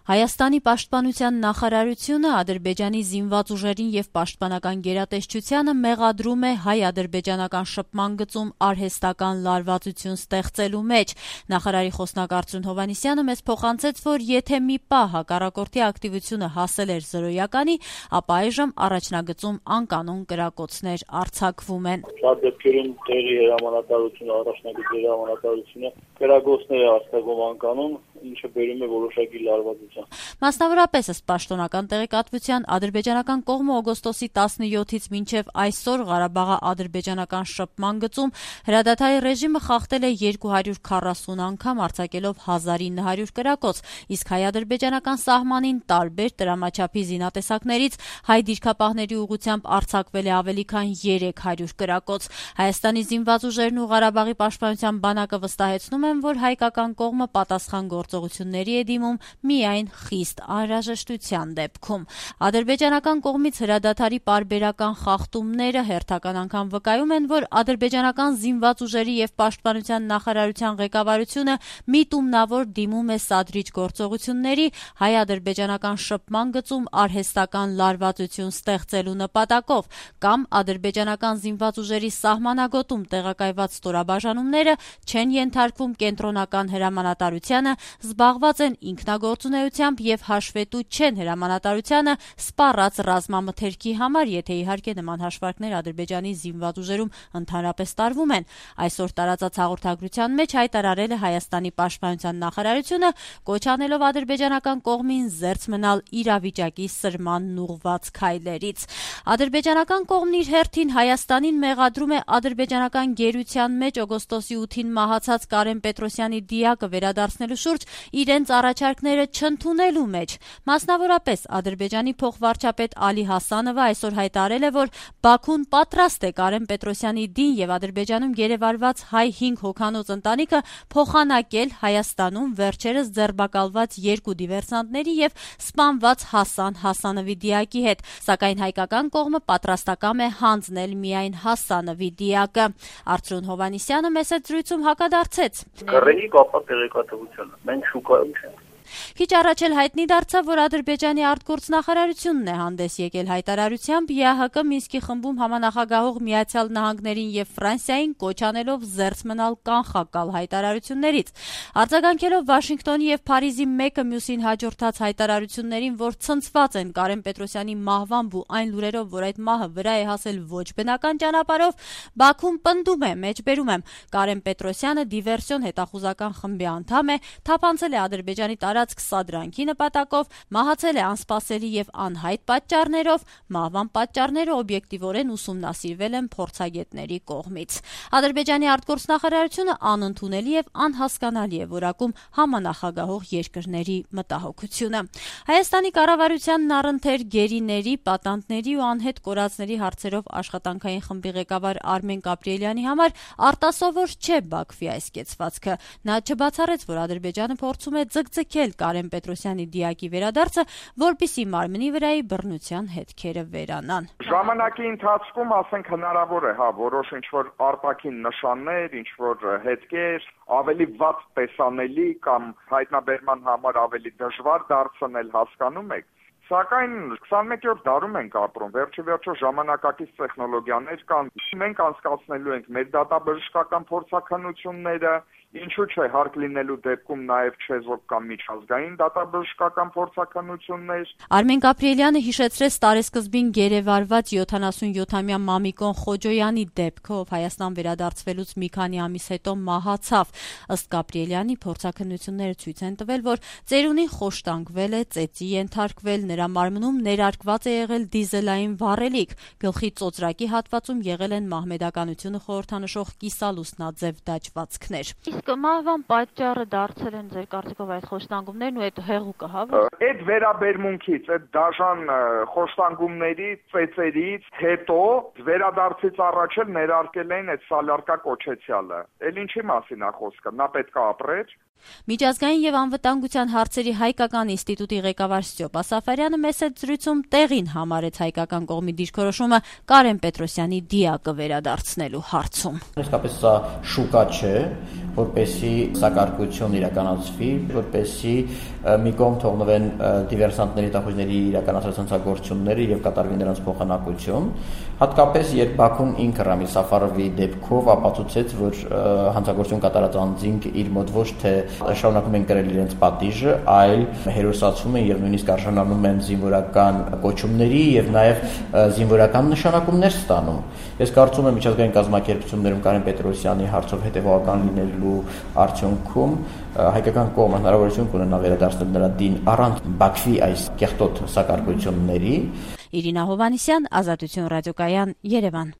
Հայաստանի պաշտպանության նախարարությունը Ադրբեջանի զինված ուժերին եւ պաշտպանական գերատեսչությանը մեղադրում է հայ-ադրբեջանական շփման գծում արհեստական լարվածություն ստեղծելու մեջ։ Նախարարի խոսնակ Արծրուն Հովհաննիսյանը մեզ փոխանցեց, որ եթե մի պահ հակառակորդի ակտիվությունը հասել էր զրոյականի, ապա այժմ առաջնագծում անկանոն կրակոցներ արձակվում են։ Շատ դեպքերում տեղի հրամանատարությունը, առաջնագծերի հրամանատարությունը կրակոցներ է արձակում անկանոն, ինչը բերում է որոշակի լարվածության։ Մասնավորապես ըստ պաշտոնական տեղեկատվության ադրբեջանական կողմը օգոստոսի 17-ից մինչև այսօր Ղարաբաղի-ադրբեջանական շփման գծում հրադադարի ռեժիմը խախտել է 240 անգամ արձակելով 1900 կրակոց, իսկ հայ-ադրբեջանական սահմանին տարբեր տրամաչափի զինատեսակներից հայ դիրքապահների ուղղությամբ արձակվել է ավելի քան 300 կրակոց։ Հայաստանի զինված ուժերն ու Ղարաբաղի պաշտպանության բանակը վստահեցնում են, որ հայկական կողմը պատասխան գործողությունների է դիմում միայն խիստ անհրաժեշտության դեպքում։ Ադրբեջանական կողմից հրադադարի պարբերական խախտումները հերթական անգամ վկայում են, որ ադրբեջանական զինված ուժերի եւ պաշտպանության նախարարության ղեկավարությունը միտումնավոր դիմում է սադրիչ գործողությունների հայ-ադրբեջանական շփման գծում արհեստական լարվածություն ստեղծելու նպատակով, կամ ադրբեջանական զինված ուժերի սահմանագոտում տեղակայված ստորաբաժանումները չեն ենթարկվում կենտրոնական հրամանատարությանը, զբաղված են ինքնագործունեությամբ եւ հաշվետու չեն հրամանատարությանը սպառած ռազմամթերքի համար, եթե իհարկե նման հաշվարկներ Ադրբեջանի զինված ուժերում ընդհանրապես տարվում են։ Այսօր տարածած հաղորդագրության մեջ հայտարարել է Հայաստանի պաշտպանության նախարարությունը, կոչ անելով ադրբեջանական կողմին զերծ մնալ իրավիճակի սրմանն ուղղված քայլերից։ Ադրբեջանական կողմն իր հերթին Հայաստանին մեղադրում է ադրբեջանական գերության մեջ օգոստոսի 8-ին մահացած Կարեն Պետրոսյանի դիակը վերադարձնելու շուրջ իրենց առաջարկները չընդունելու մեջ։ Մասնավորապես Ադրբեջանի փոխվարչապետ Ալի Հասանովը այսօր հայտարարել է, որ Բաքուն պատրաստ է Կարեն Պետրոսյանի դին եւ Ադրբեջանում գերեվարված հայ 5 հոգանոց ընտանիքը փոխանակել Հայաստանում վերջերս ձերբակալված 2 դիվերսանտների եւ սպանված Հասան Հասանովի դիակի հետ, սակայն հայկական կողմը պատրաստակամ է հանձնել միայն Հասանովի դիակը։ Արծրուն Հովհաննիսյանը մեծ զրույցում հակադարձեց. Կռեի կապա տեղեկատվությունը, մենք շուկայում չենք։ Քիչ առաջ էլ հայտնի դարձավ, որ Ադրբեջանի արտգործնախարարությունն է հանդես եկել հայտարարությամբ ԵԱՀԿ Մինսկի խմբում համանախագահող Միացյալ Նահանգներին եւ Ֆրանսիային կոչ անելով զերծ մնալ կանխակալ հայտարարություններից։ Արձագանքելով Վաշինգտոնի եւ Փարիզի մեկը մյուսին հաջորդած հայտարարություններին, որ ցնցված են Կարեն Պետրոսյանի մահվամբ ու այն լուրերով, որ այդ մահը վրա է հասել ոչ բնական ճանապարհով, Բաքուն պնդում է, մեջբերում եմ, Կարեն Պետրոսյանը դիվերսիոն հետախուզական խմբի անդամ է, թափանցել է Ադրբեջանի տարածք սադրանքի նպատակով, մահացել է անսպասելի եւ անհայտ պատճառներով, մահվան պատճառները օբյեկտիվորեն ուսումնասիրվել են փորձագետների կողմից։ Ադրբեջանի արտգործնախարարությունը անընդունելի եւ անհասկանալի է որակում համանախագահող երկրների մտահոգությունը։ Հայաստանի կառավարությանն առընթեր գերիների, պատանդների ու անհետ կորածների հարցերով աշխատանքային խմբի ղեկավար Արմեն Գաբրիելյանի համար արտասովոր չէ Բաքվի այս կեցվածքը։ Նա չբացառեց, որ Ադրբեջանը փորձում է ձգձգել Կարեն Պետրոսյանի դիակի վերադարձը, որպիսի մարմնի վրայի բռնության հետքերը վերանան։ Ժամանակի ընթացքում, ասենք, հնարավոր է, որոշ ինչ-որ արտաքին նշաններ, ինչ-որ հետքեր ավելի վատ տեսանելի կամ հայտնաբերման համար ավելի դժվար դարձնել, հասկանում եք։ Սակայն 21-րդ դարում ենք ապրում, վերջիվերջո ժամանակակից տեխնոլոգիաներ կան, մենք անցկացնելու ենք մեր դատաբժշկական փորձաքննությունները, ինչու՞ չէ հարկ լինելու դեպքում նաև չեզոք կամ միջազգային դատաբժշկական փորձաքննություններ։ Արմեն Գաբրիելյանը հիշեցրեց տարեսկզբին գերեվարված 77-ամյա Մամիկոն Խոջոյանի դեպքը, ով Հայաստան վերադարձվելուց մի քանի ամիս հետո մահացավ։ Ըստ Գաբրիելյանի փորձաքննությունները ցույց են տվել, որ ծերունին խոշտանգվել է, ծեծի ենթարկվել, նրա մարմնում ներարկված է եղել դիզելային վառելիք, գլխի ծոծրակի հատվածում եղել են մահմեդականությունը խորհրդանշող կիսալուսնաձև դաջվածքներ։ Իսկ մահվան պատճառը դարձել են ձեր կարծիքով այդ խոշտանգումներն ու այդ հեղուկը, հա՞։ Այդ վերաբերմունքից, այդ դաժան խոշտանգումների ծեծերից հետո վերադարձից առաջ էլ ներարկել էին այդ սալարկա կոչեցյալը։ Էլ ինչի մասին է խոսքը, նա պետք է ապրեր։ Միջազգային եւ անվտանգության հարցերի հայկական ինստիտուտի ղեկավար Ստյոպ Ասաֆարյանը մեծ զրույցում տեղին համարեց հայկական կողմի դիրքորոշումը Կարեն Պետրոսյանի դիակը վերադարձնելու հարցում։ Իսկապես սա շուկա չէ, որպեսզի սակարկություն իրականացվի, որպեսզի մի կողմ թողնվեն դիվերսանտների տախույների իրականացրած հանցագործությունները եւ կատարվի նրանց փոխանակություն, հատկապես երբ Բաքուն ինքը Ռամիլ Սաֆարովի դեպքով ապացուցեց, որ հանցագործություն կատարած անձինք իր մոտ ոչ թե շարունակում են կրել իրենց պատիժը, այլ հերոսացում են եւ նույնիսկ արժանանում են զինվորական կոչումների եւ նաեւ զինվորական նշանակումներ ստանում։ Ես կարծում եմ միջազգային կազմակերպություններում Կարեն Պետրոսյանի հարցով հետևողական լինելու արդյունքում հայկական կողմը հնարավորություն կունենա վերադարձնել նրա դին առանց Բաքվի այս կեղտոտ սակարկությունների։ Իրինա Հովհաննիսյան, Ազատություն ռադիոկայան, Երևան։